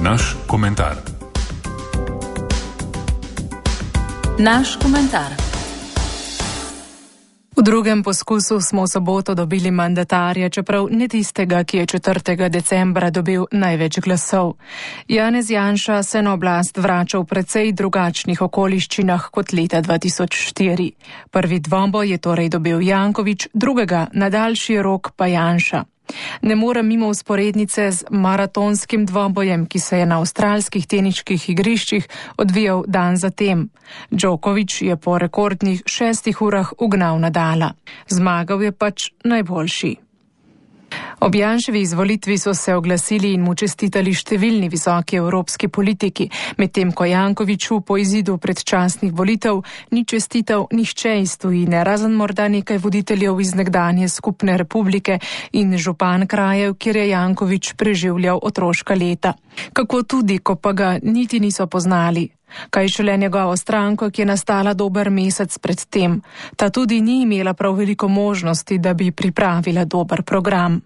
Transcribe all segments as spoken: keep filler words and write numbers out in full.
Naš komentar. Naš komentar. V drugem poskusu smo v soboto dobili mandatarja, čeprav ne tistega, ki je četrtega decembra dobil največ glasov. Janez Janša se na oblast vrača v precej drugačnih okoliščinah kot leta dva tisoč štiri. Prvi dvoboj je torej dobil Janković, drugega na daljši rok pa Janša. Ne morem mimo usporednice z maratonskim dvobojem, ki se je na avstralskih teniških igriščih odvijal dan zatem. Djokovic je po rekordnih šestih urah ugnal Nadala. Zmagal je pač najboljši. Ob Janševi izvolitvi so se oglasili in mu čestitali številni visoki evropski politiki, medtem ko Jankoviću po izidu predčasnih volitev ni čestital nihče iz tujine, razen morda nekaj voditeljev iz nekdanje skupne republike in župan krajev, kjer je Janković preživljal otroška leta. Kako tudi, ko pa ga niti niso poznali. Kaj šele njegovo stranko, ki je nastala dober mesec pred tem. Ta tudi ni imela prav veliko možnosti, da bi pripravila dober program.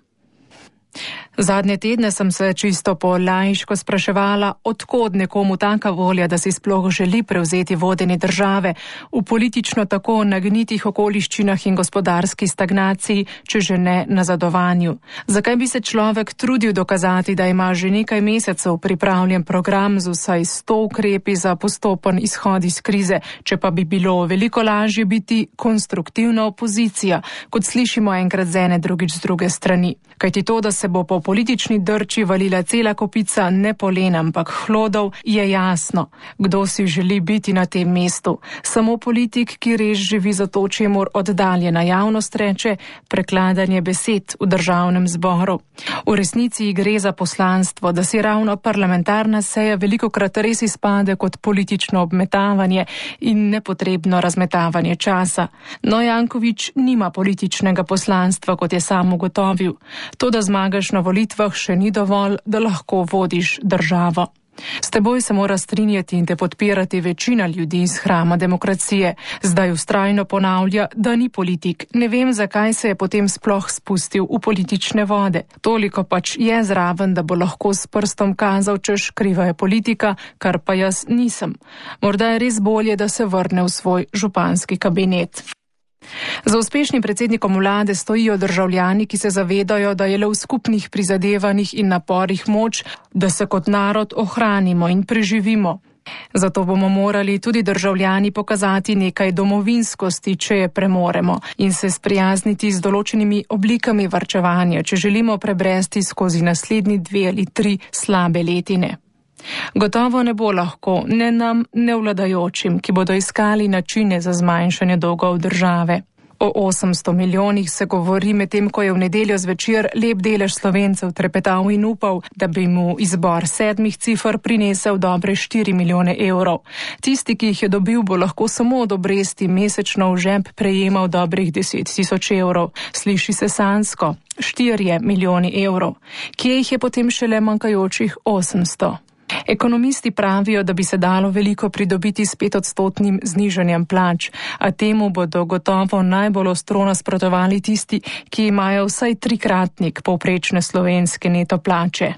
Zadnje tedne sem se čisto po laiško spraševala, odkod nekomu taka volja, da si sploh želi prevzeti vodenje države v politično tako nagnitih okoliščinah in gospodarski stagnaciji, če že ne nazadovanju. Zakaj bi se človek trudil dokazati, da ima že nekaj mesecev pripravljen program z vsaj sto ukrepi za postopen izhod iz krize, če pa bi bilo veliko lažje biti konstruktivna opozicija, kot slišimo enkrat z ene, drugič z druge strani. Kajti to, da se bo po politični drči valila cela kopica ne polen, ampak hlodov, je jasno. Kdo si želi biti na tem mestu? Samo politik, ki res živi za to, čemur oddaljena javnost reče prekladanje besed v državnem zboru. V resnici gre za poslanstvo, da si ravno parlamentarna seja velikokrat res izpade kot politično obmetavanje in nepotrebno razmetavanje časa. No, Janković nima političnega poslanstva, kot je sam ugotovil. To, da zmagaš na volitvah, še ni dovolj, da lahko vodiš državo. S teboj se mora strinjati in te podpirati večina ljudi iz hrama demokracije. Zdaj vztrajno ponavlja, da ni politik. Ne vem, zakaj se je potem sploh spustil v politične vode. Toliko pač je zraven, da bo lahko s prstom kazal, češ kriva je politika, kar pa jaz nisem. Morda je res bolje, da se vrne v svoj županski kabinet. Za uspešnim predsednikom vlade stojijo državljani, ki se zavedajo, da je le v skupnih prizadevanjih in naporih moč, da se kot narod ohranimo in preživimo. Zato bomo morali tudi državljani pokazati nekaj domovinskosti, če je premoremo, in se sprijazniti z določenimi oblikami varčevanja, če želimo prebresti skozi naslednji dve ali tri slabe letine. Gotovo ne bo lahko ne nam, ne vladajočim, ki bodo iskali načine za zmanjšanje dolgov države. O osemsto milijonih se govori, medtem ko je v nedeljo zvečer lep delež Slovencev trepetal in upal, da bi mu izbor sedmih cifr prinesel dobre štiri milijone evrov. Tisti, ki jih je dobil, bo lahko samo od obresti mesečno v žep prejemal dobrih deset tisoč evrov. Sliši se sanjsko, štirje milijoni evrov. Kje jih je potem šele manjkajočih osemsto? Ekonomisti pravijo, da bi se dalo veliko pridobiti s petodstotnim znižanjem plač, a temu bodo gotovo najbolj ostro nasprotovali tisti, ki imajo vsaj trikratnik povprečne slovenske neto plače.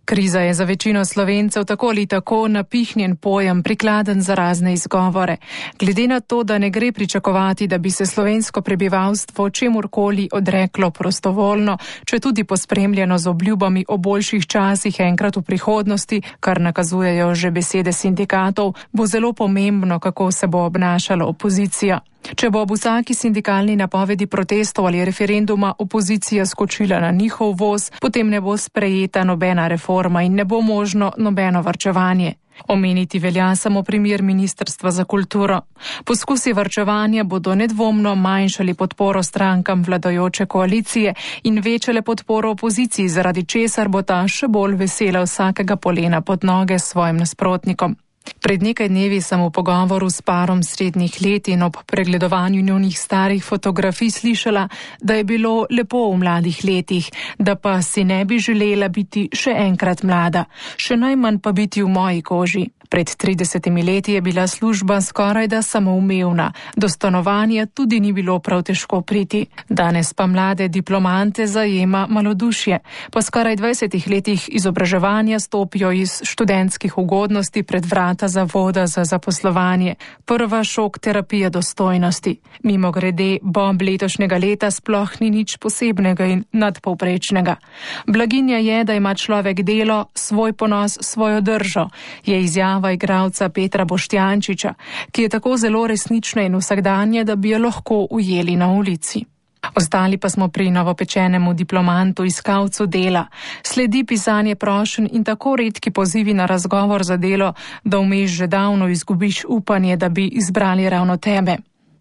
Kriza je za večino Slovencev tako ali tako napihnjen pojem, prikladen za razne izgovore. Glede na to, da ne gre pričakovati, da bi se slovensko prebivalstvo čemurkoli odreklo prostovoljno, če tudi pospremljeno z obljubami o boljših časih enkrat v prihodnosti, kar nakazujejo že besede sindikatov, bo zelo pomembno, kako se bo obnašala opozicija. Če bo ob vsaki sindikalni napovedi protestov ali referenduma opozicija skočila na njihov voz, potem ne bo sprejeta nobena reforma in ne bo možno nobeno varčevanje. Omeniti velja samo primer Ministrstva za kulturo. Poskusi varčevanja bodo nedvomno manjšali podporo strankam vladajoče koalicije in večale podporo opoziciji, zaradi česar bo ta še bolj vesela vsakega polena pod noge s svojim nasprotnikom. Pred nekaj dnevi sem v pogovoru s parom srednjih let in ob pregledovanju njunih starih fotografij slišala, da je bilo lepo v mladih letih, da pa si ne bi želela biti še enkrat mlada, še najmanj pa biti v moji koži. Pred tridesetimi leti je bila služba skorajda samoumevna, do stanovanja tudi ni bilo prav težko priti. Danes pa mlade diplomante zajema malodušje. Po skoraj dvajsetih letih izobraževanja stopijo iz študentskih ugodnosti pred vrata zavoda za zaposlovanje. Prva šok terapija dostojnosti. Mimogrede, Bob letošnjega leta sploh ni nič posebnega in nadpovprečnega. Blaginja je, da ima človek delo, svoj ponos, svojo držo, je izjavila igralca Petra Boštjančiča, ki je tako zelo resnična in vsakdanje, da bi jo lahko ujeli na ulici. Ostali pa smo pri novopečenemu diplomantu, iskalcu dela. Sledi pisanje prošenj in tako redki pozivi na razgovor za delo, da vmes že davno izgubiš upanje, da bi izbrali ravno tebe.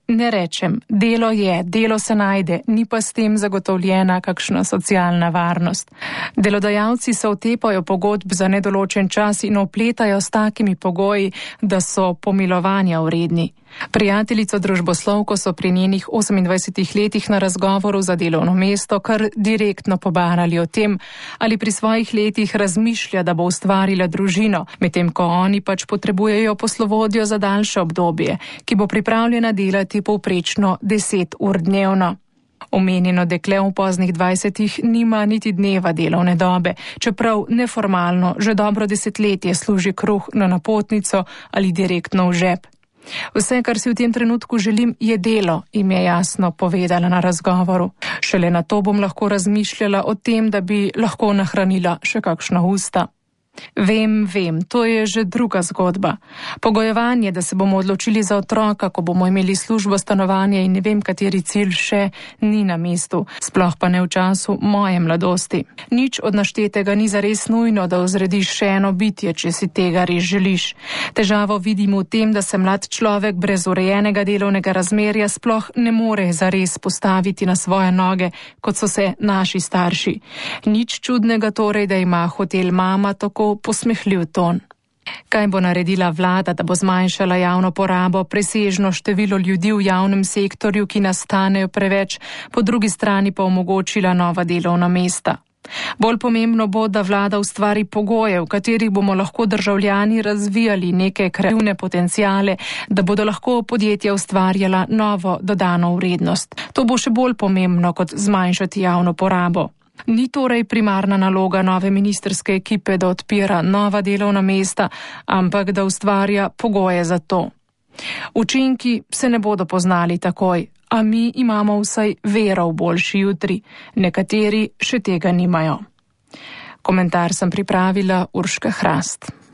Ne rečem, delo je, delo se najde, ni pa s tem zagotovljena kakšna socialna varnost. Delodajalci se otepajo pogodb za nedoločen čas in opletajo s takimi pogoji, da so pomilovanja vredni. Prijateljico družboslovko so pri njenih osemindvajsetih letih na razgovoru za delovno mesto kar direktno pobarali o tem, ali pri svojih letih razmišlja, da bo ustvarila družino, medtem ko oni pač potrebujejo poslovodjo za daljše obdobje, ki bo pripravljena delati povprečno deset ur dnevno. Omenjeno dekle v poznih dvajsetih nima niti dneva delovne dobe, čeprav neformalno že dobro desetletje služi kruh na napotnico ali direktno v žep. Vse, kar si v tem trenutku želim, je delo, jim je jasno povedala na razgovoru. Šele na to bom lahko razmišljala o tem, da bi lahko nahranila še kakšna usta. Vem, vem, to je že druga zgodba. Pogojevanje, da se bomo odločili za otroka, ko bomo imeli službo, stanovanje in ne vem kateri cilj še, ni na mestu, sploh pa ne v času moje mladosti. Nič od naštetega ni zares nujno, da ozrediš še eno bitje, če si tega res želiš. Težavo vidim v tem, da se mlad človek brez urejenega delovnega razmerja sploh ne more zares postaviti na svoje noge, kot so se naši starši. Nič čudnega torej, da ima hotel mama tako posmehljiv ton. Kaj bo naredila vlada, da bo zmanjšala javno porabo, presežno število ljudi v javnem sektorju, ki nastanejo preveč, po drugi strani pa omogočila nova delovna mesta? Bolj pomembno bo, da vlada ustvari pogoje, v katerih bomo lahko državljani razvijali neke kreativne potencijale, da bodo lahko podjetja ustvarjala novo dodano vrednost. To bo še bolj pomembno, kot zmanjšati javno porabo. Ni torej primarna naloga nove ministrske ekipe, da odpira nova delovna mesta, ampak da ustvarja pogoje za to. Učinki se ne bodo poznali takoj, a mi imamo vsaj vero v boljši jutri, nekateri še tega nimajo. Komentar sem pripravila Urška Hrast.